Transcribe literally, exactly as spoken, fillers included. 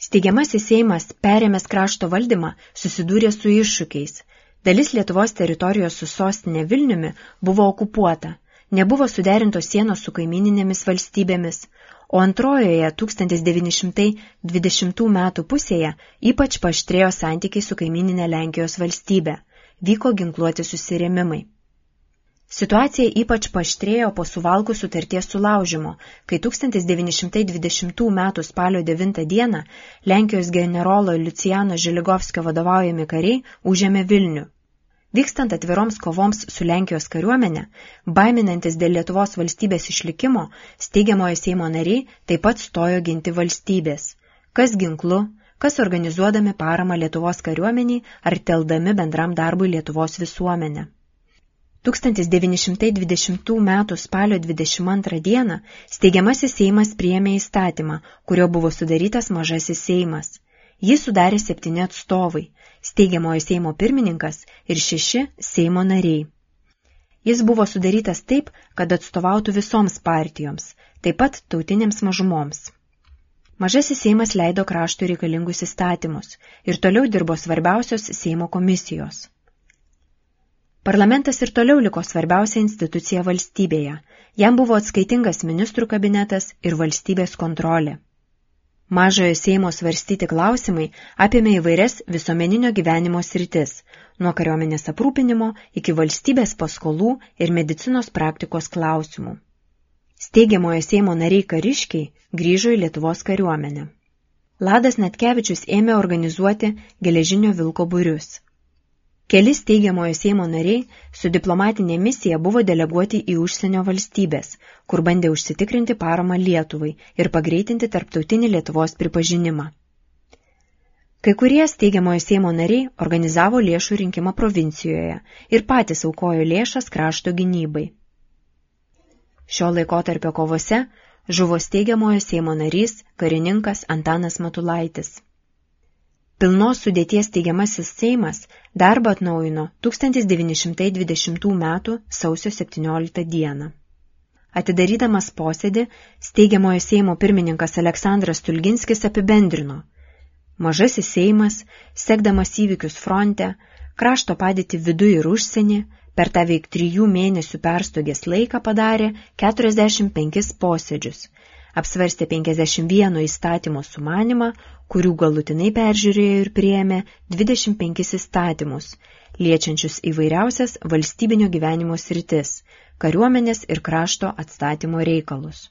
Steigiamasis Seimas, perėmęs krašto valdymą, susidūrė su iššūkiais. Dalis Lietuvos teritorijos su sostinė Vilniumi buvo okupuota, nebuvo suderintos sienos su kaimyninėmis valstybėmis, o antrojoje tūkstantis devyni šimtai dvidešimtų metų pusėje ypač paaštrėjo santykiai su kaimyninė Lenkijos valstybe, vyko ginkluoti susirėmimai. Situacija ypač paaštrėjo po Suvalkų sutarties sulaužimo, kai tūkstantis devyni šimtai dvidešimtų metų spalio devintą dieną Lenkijos generolo Liucijano Žiligovskio vadovaujami kariai užėmė Vilnių. Vykstant atviroms kovoms su Lenkijos kariuomenė, baiminantis dėl Lietuvos valstybės išlikimo, steigiamojo Seimo nariai taip pat stojo ginti valstybės, kas ginklu, kas organizuodami paramą Lietuvos kariuomeniai ar teldami bendram darbui Lietuvos visuomenę. tūkstantis devyni šimtai dvidešimtų metų spalio dvidešimt antrą dieną steigiamasis Seimas priėmė įstatymą, kurio buvo sudarytas mažasis Seimas. Jį sudarė septyni atstovai, steigiamojo Seimo pirmininkas ir šeši Seimo nariai. Jis buvo sudarytas taip, kad atstovautų visoms partijoms, taip pat tautinėms mažumoms. Mažasis Seimas leido kraštui reikalingus įstatymus ir toliau dirbo svarbiausios Seimo komisijos. Parlamentas ir toliau liko svarbiausia institucija valstybėje, jam buvo atskaitingas ministrų kabinetas ir valstybės kontrolė. Mažojo Seimo svarstyti klausimai apėmė įvairias visuomeninio gyvenimo sritis, nuo kariuomenės aprūpinimo iki valstybės paskolų ir medicinos praktikos klausimų. Steigiamojo Seimo nariai kariškiai grįžo į Lietuvos kariuomenę. Ladas Natkevičius ėmė organizuoti geležinio vilko būrius. Keli steigiamojo Seimo nariai su diplomatinė misija buvo deleguoti į užsienio valstybės, kur bandė užsitikrinti paramą Lietuvai ir pagreitinti tarptautinį Lietuvos pripažinimą. Kai kurie steigiamojo Seimo nariai organizavo lėšų rinkimą provincijoje ir patys aukojo lėšas krašto gynybai. Šio laikotarpio kovose žuvo steigiamojo Seimo narys, karininkas Antanas Matulaitis. Pilnos sudėties steigiamasis Seimas darbą atnaujino tūkstantis devyni šimtai dvidešimtų metų sausio septynioliktą dieną. Atidarydamas posėdį, steigiamojo Seimo pirmininkas Aleksandras Stulginskis apibendrino: Mažasis Seimas, sekdamas įvykius fronte, krašto padėtį viduje ir užsienį, per tą veik trijų mėnesių perstogės laiką padarė keturiasdešimt penkis posėdžius, apsvarstė penkiasdešimt vieno įstatymo sumanymą, kurių galutinai peržiūrėjo ir priėmė dvidešimt penkis įstatymus, liečiančius įvairiausias valstybinio gyvenimo sritis, kariuomenės ir krašto atstatymo reikalus.